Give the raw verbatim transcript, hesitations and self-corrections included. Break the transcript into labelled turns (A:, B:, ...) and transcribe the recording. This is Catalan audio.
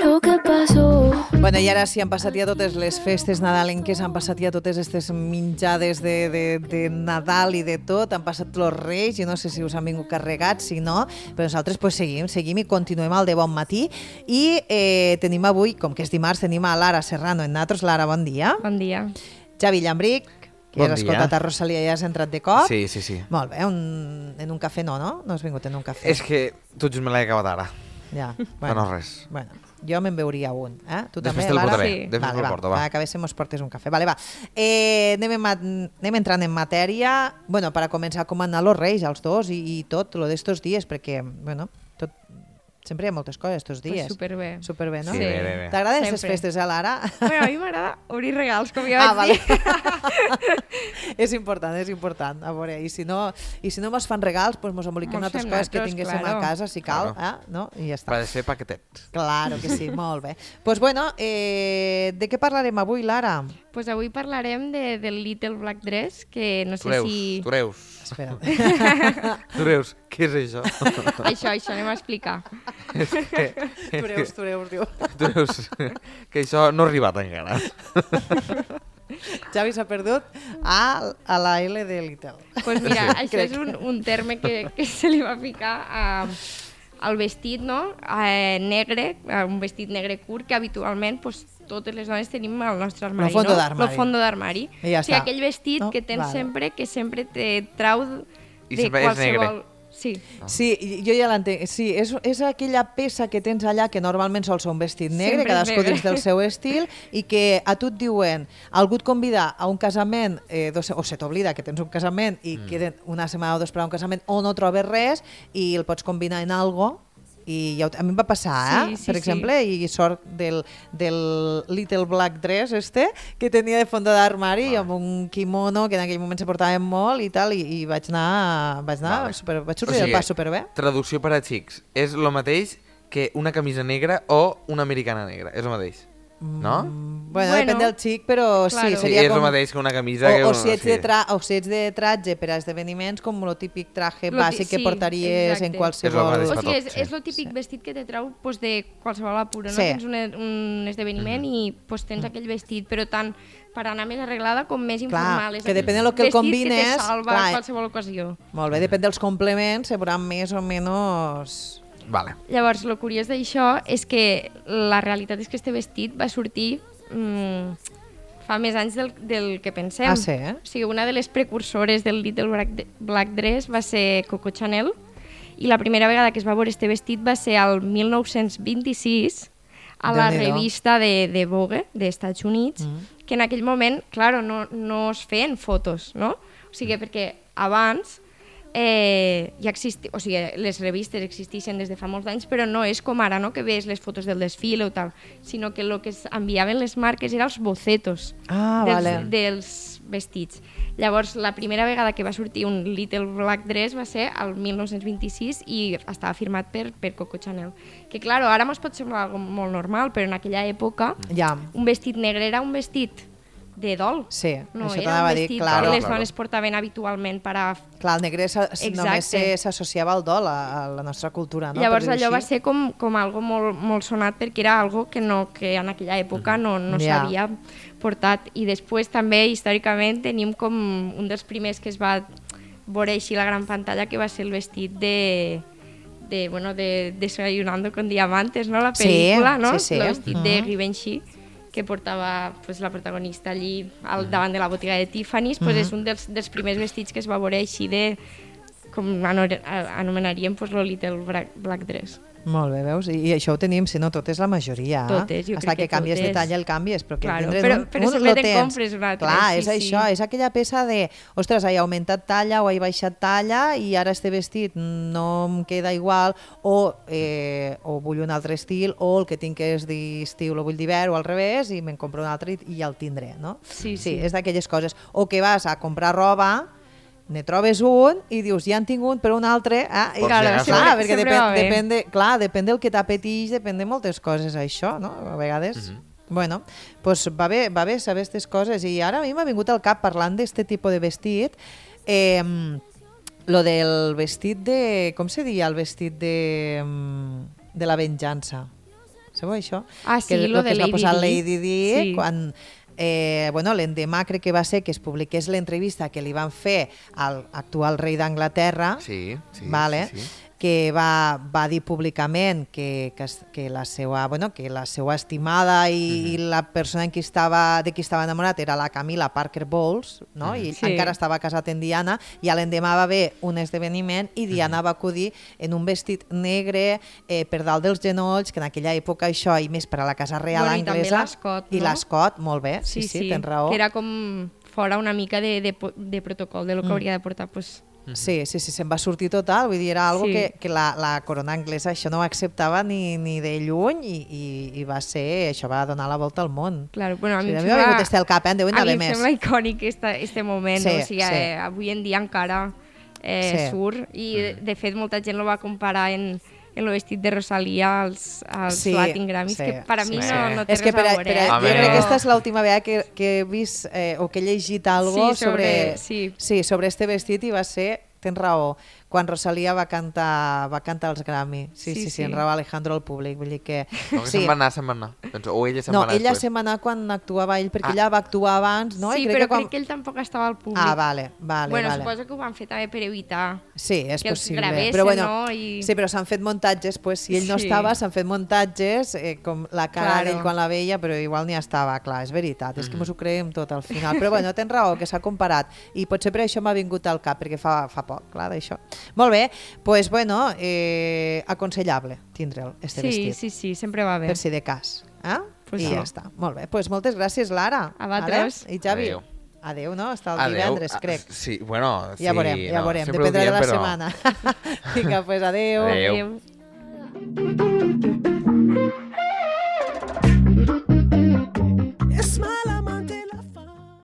A: Lo que pasó.
B: Bueno, i ara sí, han passat ja totes les festes nadalenques, han passat ja totes aquestes menjades de, de, de Nadal i de tot, han passat els Reis, i no sé si us han vingut carregats, si no, però nosaltres pues, seguim, seguim i continuem al de bon matí. I eh, tenim avui, com que és dimarts, tenim a Lara Serrano en nosaltres. Lara, bon dia.
C: Bon dia.
B: Javi Llambric, que
D: Bon
B: ja has
D: dia.
B: escoltat a Rosalia i ja has entrat de cop.
D: Sí, sí, sí.
B: Molt bé, un, en un cafè no, no? No has vingut en un cafè.
D: És que tot just me l'he acabat ara.
B: Ja,
D: Bueno. No res.
B: Bueno, jo me'n beuria un. Eh? Tu
D: Després
B: també,
D: te'l
B: Lara?
D: portaré.
C: Sí.
D: Després
B: Vale,
D: te'l
B: va,
D: porto, va.
B: va, que a veces mos portes un cafè. Vale, va. Eh, anem, en, ma- anem entrant en matèria. Bueno, per a començar, com han anat los Reis, els dos, i, i tot, lo d'estos dies, perquè, bueno, tot, sempre hi ha moltes coses estos dies.
C: Pues superbé.
B: Superbé, no?
D: Sí, bé, bé, bé.
B: T'agraden aquestes
C: Sempre.
B: festes, eh, Lara?
C: Bueno, a mi m'agrada obrir regals, com ja
B: Ah,
C: vaig
B: vale.
C: dir.
B: És important, és important. A veure, i si no, i si no mos fan regals, pues mos emboliquem
C: Mos
B: altres
C: fem
B: coses que
C: nosaltres,
B: tinguéssim
C: claro.
B: a casa, si cal,
D: Claro.
B: eh? No? I ja està.
D: Va ser paquetet.
B: Claro que sí, molt bé. Doncs pues bueno, eh, de què parlarem avui, Lara?
C: Pues avui parlarem de, del Little Black Dress, que no sé
D: Tureus,
C: si...
D: tureus.
B: Espera.
D: Tureus, què és això?
C: Això, això anem a explicar.
B: Tureus, tureus, diu.
D: Tureus, que això no ha arribat encara.
B: Javi s'ha perdut a, a la L de Little.
C: Pues mira,
B: Sí,
C: això
B: crec.
C: és un, un terme que, que se li va ficar a, al vestit, no? Eh, negre, a un vestit negre curt, que habitualment pues, totes les dones tenim al nostre armari,
B: fondo
C: no?
B: d'armari.
C: Lo fondo d'armari.
B: I ja
C: o sigui,
B: està.
C: aquell vestit
B: No?
C: que tens
B: Vale.
C: sempre, que sempre te trau
D: I
C: de
D: sempre és
C: qualsevol...
D: negre.
C: Sí.
B: Sí, jo ja l'entenc. Sí, és, és aquella peça que tens allà que normalment sol ser un vestit negre,
C: Sempre és
B: cadascú
C: negre.
B: dins del seu estil, i que a tu et diuen, algú et convida a un casament, eh, dos, o se t'oblida que tens un casament i mm. queden una setmana o dos per a un casament, o no trobes res i el pots combinar en algo. I ja, ho- a mi em va passar, eh?
C: Sí, sí,
B: per
C: sí.
B: exemple, i sort del, del Little Black Dress este, que tenia de fondo d'armari i amb un kimono que en aquell moment se portava molt i tal, i, i vaig anar, vaig anar
D: Vale.
B: super, vaig
D: O
B: sortir
D: sigui,
B: del pas superbé.
D: Traducció per a xics. És el mateix que una camisa negra o una americana negra. És el mateix. No?
B: Bueno,
C: Bueno,
B: depèn del xic, però
C: claro.
B: sí,
D: Sí,
B: seria
D: és
B: com...
D: el mateix que una camisa...
B: O,
D: que
B: o,
D: una-
B: si ets
D: sí.
B: de tra o si ets de tratge per a esdeveniments, com el típic traje
C: Lo ti-
B: bàsic que
C: sí,
B: portaries
C: exacte.
B: en
D: És
B: qualsevol...
D: el mateix.
C: O
D: per
C: sigui,
D: tot,
C: és,
D: sí.
C: és el típic vestit que te trau pues, de qualsevol apuro, no?
B: Sí.
C: Tens un, un esdeveniment i pues, tens aquell vestit, però tant per anar més arreglada com més informal. És
B: que
C: aquell
B: depèn del que el
C: vestit
B: combines,
C: que te salva
B: clar.
C: en qualsevol ocasió.
B: Molt bé, depèn dels complements, se veuran més o menys...
D: Vale.
C: Llavors, el curiós d'això és que la realitat és que este vestit va sortir mm, fa més anys del, del que pensem.
B: Ah, sí, eh?
C: O sigui, una de les precursores del Little Black, Black Dress va ser Coco Chanel, i la primera vegada que es va veure este vestit va ser al mil nou-cents vint-i-sis a la
B: Déu-n'hi-do.
C: revista de, de Vogue dels Estats Units, mm. que en aquell moment, claro, no, no es feien fotos, no? O sigui, perquè abans eh, ja existi, o sigui, les revistes existeixen des de fa molts anys, però no és com ara, no?, que ves les fotos del desfile o tal, sinó que el que es enviaven les marques eren els bocetos
B: Ah,
C: dels,
B: vale.
C: dels vestits. Llavors, la primera vegada que va sortir un Little Black Dress va ser al mil nou-cents vint-i-sis i estava firmat per, per Coco Chanel. Que, claro, ara mos pot semblar algo molt normal, però en aquella època
B: Ja,
C: un vestit negre era un vestit de dol.
B: sí,
C: No,
B: això
C: era
B: t'anava
C: un
B: a dir,
C: vestit
B: claro.
C: que les
D: claro.
C: dones portaven habitualment per a...
B: Clar, el negre s'ha-
C: Exacte.
B: només se- s'associava al dol a, a la nostra cultura, no?
C: Llavors
B: Per dir-ho
C: allò va
B: així.
C: ser com, com algo molt, molt sonat perquè era algo que, no, que en aquella època no, no
B: Ja.
C: s'havia portat. I després també històricament tenim com un dels primers que es va veure així a la gran pantalla, que va ser el vestit de de, bueno, de Desayunando con Diamantes, no? La
B: Sí,
C: pel·lícula, no?
B: sí, sí.
C: El vestit de
B: Mhm.
C: Givenchy, que portava pues, la protagonista allí al davant de la botiga de Tiffany's, pues, és un dels, dels primers vestits que es va veure així de, com ano- anomenaríem pues, lo Little Black, Black Dress.
B: Molt bé, veus? I, I això ho tenim, si no, totes la majoria.
C: Totes, jo
B: Hasta
C: crec
B: que,
C: que
B: canvies de
C: totes.
B: talla el canvies, però que
C: Claro,
B: tindre's
C: però-
B: un,
C: però
B: un
C: sempre
B: lo
C: te'n
B: tens.
C: compres un altre,
B: Clar,
C: sí,
B: és
C: sí.
B: això, és aquella peça de, ostres, he augmentat talla o he baixat talla i ara este vestit no em queda igual, o, eh, o vull un altre estil, o el que tinc és d'estiu lo vull d'hivern, o al revés, i me'n compro un altre i, i ja el tindré, no?
C: Sí,
B: sí.
C: sí.
B: És d'aquelles coses. O que vas a comprar roba, ne trobes un i dius, ja en tinc un, però un altre... Ah, i,
D: Por si
B: clar,
D: acaso.
B: clar,
C: Sempre-
B: perquè
C: sempre
B: depèn,
C: va bé.
B: depèn, de, clar, depèn del que t'apeteix, depèn de moltes coses, això, no? A vegades... Bueno, pues va bé, va bé saber aquestes coses. I ara a mi m'ha vingut al cap, parlant d'este tipus de vestit, eh, Lo del vestit de... Com se diria el vestit de, mm, de la venjança? Sabeu això?
C: Ah, sí,
B: que
C: lo
B: que
C: de
B: es va
C: Lady
B: posar
C: Di.
B: Lady Di
C: Sí.
B: quan... Eh, bueno, l'endemà crec que va ser que es publiqués l'entrevista que li van fer al actual rei d'Anglaterra,
D: Sí, sí,
B: vale?
D: sí, sí.
B: que va, va dir públicament que, que, es- que, la seva, bueno, que la seva estimada i,
D: Mhm.
B: i la persona en qui estava, de qui estava enamorat era la Camila Parker Bowles, no? I ell
C: Sí.
B: encara estava casat amb Diana, i a l'endemà va haver un esdeveniment i Diana va acudir en un vestit negre eh, per dalt dels genolls, que en aquella època això, i més per a la Casa Real
C: Bueno, i també
B: anglesa...
C: l'escot,
B: I
C: no?
B: l'escot, molt bé, sí, sí, tens raó.
C: que era com fora una mica de, de, po- de protocol de lo que
B: Mm.
C: hauria de portar, pues,
B: Sí, sí, sí, se'n va sortir total, vull dir, era algo
C: Sí.
B: que, que la, la corona anglesa això no ho acceptava ni, ni de lluny i, i, i va ser, això va donar la volta al món.
C: claro, bueno, a
B: Sí,
C: mi
B: a
C: em
B: mi m'ha
C: sembla,
B: vingut este al cap, eh? en deuen
C: a mi
B: haver
C: em
B: més.
C: sembla icònic este, este moment,
B: Sí,
C: no? O sigui,
B: sí.
C: eh, avui en dia encara eh,
B: Sí.
C: surt i de, de fet molta gent lo va comparar en, en el vestit de Rosalia als, als
B: Sí,
C: Latin Grammys,
B: sí,
C: que per a mi
B: sí.
C: no, no té
B: És que
C: res
B: per,
C: a
B: a,
C: veure.
B: per a,
C: eh,
B: jo
D: Home.
B: crec que
C: però-
B: aquesta és l'última vegada que, que he vist eh, o que he llegit algo
C: Sí, sobre-
B: sobre,
C: sí.
B: sí, sobre este vestit i va ser, tens raó, quan Rosalia va cantar, va cantar els Grammy. Sí, sí, sí,
C: Sí,
B: sí, en
C: sí.
B: Raúl Alejandro al públic, vull dir que...
D: No, que se'n va anar, se'n va anar. Penso, o ella se'n
B: No,
D: va anar
B: ella
D: després.
B: se'n va anar quan actuava ell, perquè
D: Ah.
B: ella va actuar abans, no?
C: Sí,
B: I
C: però
B: que quan...
C: crec que ell tampoc estava al públic.
B: Ah, vale, vale,
C: bueno,
B: vale.
C: suposo que ho van fer també per evitar
B: Sí, és
C: que els
B: possible.
C: gravessen,
B: però bueno,
C: no? I-
B: Sí, però s'han fet muntatges, pues, si ell no
C: Sí.
B: estava, s'han fet muntatges eh, com la cara
C: Claro.
B: d'ell quan la veia, però igual n'hi estava, clar, és veritat, és que mos ho creiem tot al final. Però bueno, tens raó, que s'ha comparat, i potser per això m'ha vingut al cap, perquè fa, fa poc, clar, d'això. Molt bé, doncs pues, bueno, eh, aconsellable tindre'l, este
C: Sí,
B: vestit,
C: sí, sí, sempre va bé.
B: per si de cas. Eh?
C: Pues
B: I
C: sí.
B: ja està. Molt bé, doncs pues moltes gràcies, Lara.
C: A vosaltres.
B: Vale? I Javi.
D: Adéu.
B: Adéu, no? Està el
D: Adéu.
B: divendres,
D: Ah,
B: crec.
D: Sí, bueno, sí.
B: Ja veurem, ja
D: no,
B: veurem.
D: sempre ho
B: Dependrà de
D: diem,
B: la
D: però-
B: setmana. Vinga, doncs pues adéu.
D: Adéu.
C: Adéu.